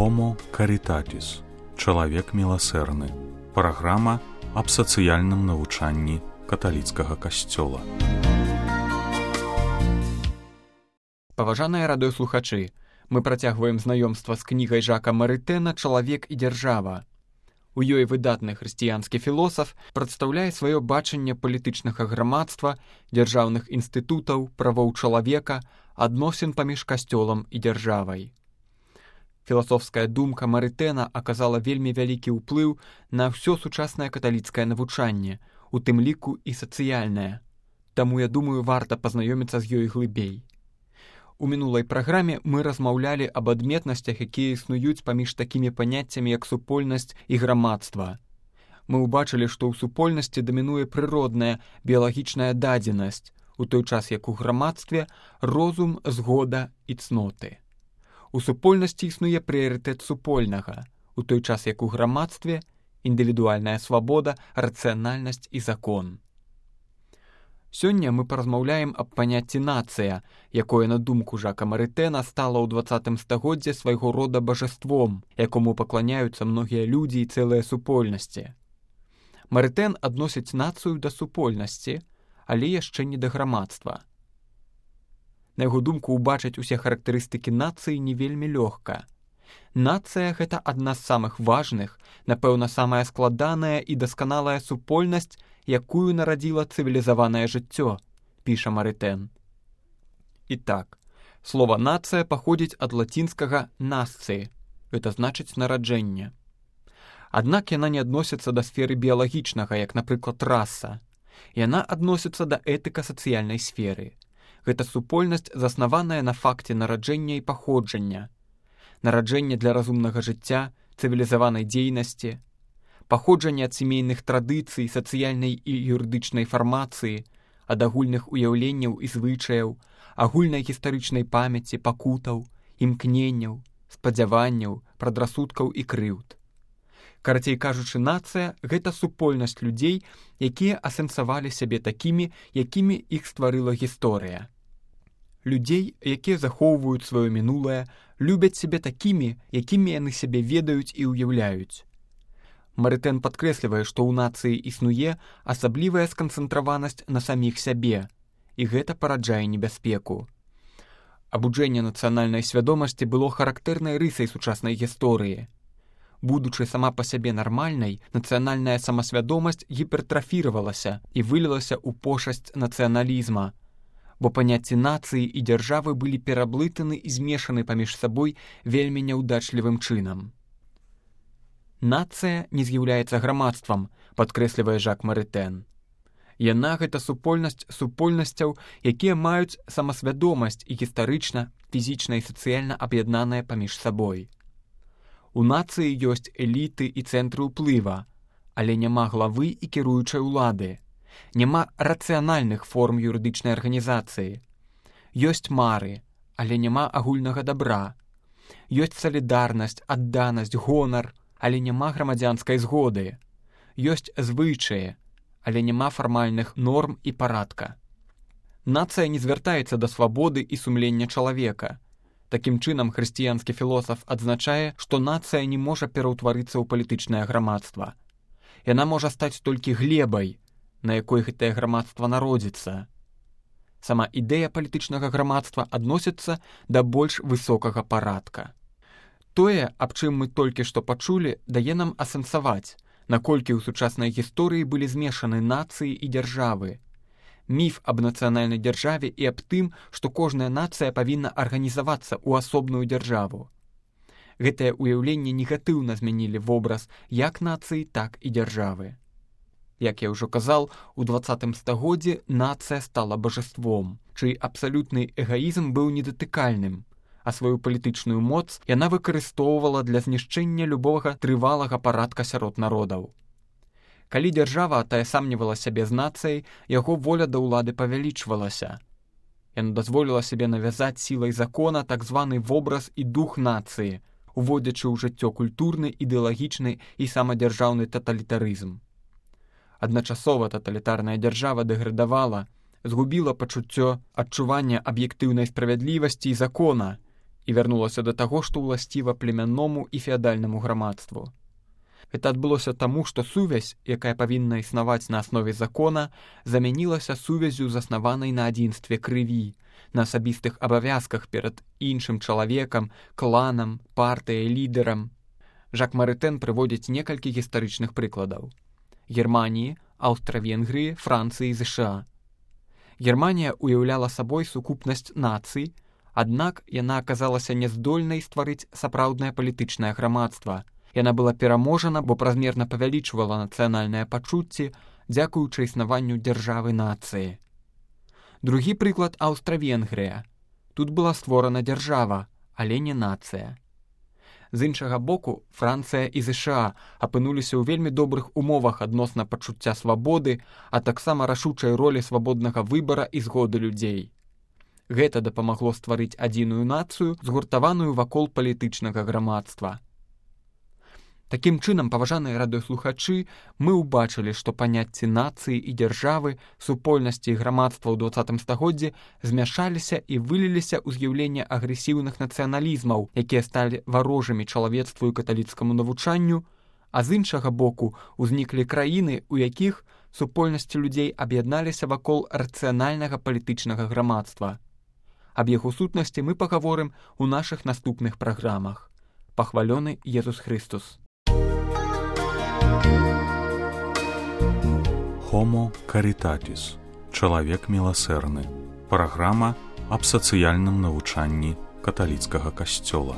Homo Caritatis – чалавек міласэрны. Праграма аб сацыяльным навучанні каталіцкага касцёла. Паважаныя радыёслухачы, мы працягваем знаёмства з кнігай Жака Марытэна «Чалавек і дзяржава». У ёй выдатны хрысціянскі філосаф прадстаўляе сваё бачанне палітычнага грамадства, дзяржаўных інстытутаў, правоў чалавека, адносін паміж касцёлам і дзяржавай. Філасофская думка Марытэна аказала вельмі вялікі ўплыў на ўсё сучаснае каталіцкае навучанне, у тым ліку і сацыяльнае. Таму, я думаю, варта пазнаёміцца з ёй глыбей. У мінулай праграме мы размаўлялі аб адметнасцях, якія існуюць паміж такімі паняццямі, як супольнасць і грамадства. Мы ўбачылі, што ў супольнасці дамінуе прыродная, біялагічная дадзенасць, у той час як у грамадстве розум, згода і цноты. У супольнасці існуе прыярытэт супольнага, у той час як у грамадстве індывідуальная свабода, рацыянальнасць і закон. Сёння мы паразмаўляем аб паняцці нацыя, якое, на думку Жака Марытэна, стала ў 20 стагоддзі свайго рода бажаством, якому пакланяюцца многія людзі і цэлыя супольнасці. Марытэн адносіць нацыю да супольнасці, але яшчэ не да грамадства. На яго думку, убачыць усе характарыстыкі нацыі не вельмі лёгка. Нацыя – гэта адна з самых важных, напэўна, самая складаная і дасканалая супольнасць, якую нарадзіла цывілізаванае жыццё, піша Марытэн. І так, слова «нацыя» паходзіць ад лацінскага «насцыі», гэта значыць нараджэнне. Аднак яна не адносіцца да сферы біялагічнага, як, напрыклад, раса. Яна адносіцца да этыка-сацыяльнай сферы. Гэта супольнасць, заснаваная на факце нараджэння і паходжання. Нараджэнне для разумнага жыцця, цывілізаванай дзейнасці, паходжанне ад сямейных традыцый, сацыяльнай і юрыдычнай фармацыі, ад агульных уяўленняў і звычаяў, агульнай гістарычнай памяці, пакутаў, імкненняў, спадзяванняў, прадрасудкаў і крыўд. Карацей кажучы, нацыя – гэта супольнасць людзей, якія асэнсавалі сябе такімі, якімі іх стварыла гісторыя. Людзей, якія захоўваюць сваё мінулае, любяць сябе такімі, якімі яны сябе ведаюць і ўяўляюць. Марытэн падкрэслівае, што ў нацыі існуе асаблівая сканцэнтраванасць на саміх сябе, і гэта параджае небяспеку. Абуджэнне нацыянальнай свядомасці было характэрнай рысай сучаснай гісторыі. Будучы сама па сябе нармальнай, нацыянальная самасвядомасць гіпертрафіравалася і вылілася ў пошасць нацыяналізма, бо паняцці нацыі і дзяржавы былі пераблытаны і змешаны паміж сабой вельмі няўдачлівым чынам. Нацыя не з'яўляецца грамадствам, падкрэслівае Жак Марытэн. Яна – гэта супольнасць супольнасцяў, якія маюць самасвядомасць і гістарычна, фізічна і сацыяльна аб'яднаныя паміж сабой. У нацыі ёсць эліты і цэнтры ўплыва, але няма главы і кіруючай улады. Няма рацыянальных форм юрыдычнай арганізацыі. Ёсць мары, але няма агульнага дабра. Ёсць салідарнасць, адданасць, гонар, але няма грамадзянскай згоды. Ёсць звычаі, але няма фармальных норм і парадка. Нацыя не звяртаецца да свабоды і сумлення чалавека. Такім чынам, хрысціянскі філосаф адзначае, што нацыя не можа пераўтварыцца ў палітычнае грамадства. Яна можа стаць толькі глебай, на якой гэтае грамадства народзіцца. Сама ідэя палітычнага грамадства адносіцца да больш высокага парадка. Тое, аб чым мы толькі што пачулі, дае нам асэнсаваць, наколькі ў сучаснай гісторыі былі змешаны нацыі і дзяржавы. Міф аб нацыянальнай дзяржаве і аб тым, што кожная нацыя павінна арганізавацца ў асобную дзяржаву. Гэтае ўяўленне негатыўна змянілі вобраз як нацыі, так і дзяржавы. Як я ўжо казаў, у 20 стагоддзі нацыя стала бажаством, чый абсалютны эгаізм быў недатыкальным, а сваю палітычную моц яна выкарыстоўвала для знішчэння любога трывалага парадка сярод народаў. Калі дзяржава атаясамнівала сябе з нацыяй, яго воля да ўлады павялічвалася. Яна дазволіла сябе навязаць сілай закона так званы вобраз і дух нацыі, уводзячы ў жыццё культурны, ідэалагічны і самадзяржаўны таталітарызм. Адначасова таталітарная дзяржава дэградавала, згубіла пачуццё адчування аб'ектыўнай справядлівасці і закона і вярнулася да таго, што ўласціва племянному і феадальнаму грамадству. Гэта адбылося таму, што сувязь, якая павінна існаваць на аснове закона, замянілася сувязю, заснаванай на адзінстве крыві, на асабістых абавязках перад іншым чалавекам, кланам, партыяй, лідарам. Жак Марытэн прыводзіць некалькі гістарычных прыкладаў. Германіі, Аўстра-Венгрыі, Францыі і ЗША. Германія уяўляла сабой сукупнасць нацый, аднак яна аказалася няздольнай стварыць сапраўднае палітычнае грамадства. Яна была пераможана, бо празмерна павялічвала нацыянальныя пачуцці, дзякуючы існаванню дзяржавы-нацыі. Другі прыклад – Аўстра-Венгрыя. Тут была створана дзяржава, але не нацыя. З іншага боку, Францыя і ЗША апынуліся ў вельмі добрых умовах адносна пачуцця свабоды, а таксама рашучай ролі свабоднага выбара і згоды людзей. Гэта дапамагло стварыць адзіную нацыю, згуртаваную вакол палітычнага грамадства. Такім чынам, паважаныя радыёслухачы, мы ўбачылі, што паняцці нацыі і дзяржавы, супольнасці і грамадства ў 20 стагоддзі змяшаліся і выліліся ў з'яўленне агрэсіўных нацыяналізмаў, якія сталі варожымі чалавецтву і каталіцкаму навучанню, а з іншага боку узніклі краіны, у якіх супольнасці людзей аб'ядналіся вакол рацыянальнага палітычнага грамадства. Аб яго сутнасці мы пагаворым у нашых наступных праграмах. Пахвалёны Езус Христус. Homo Caritatis. Чалавек міласэрны. Праграма аб сацыяльным навучанні каталіцкага касцёла.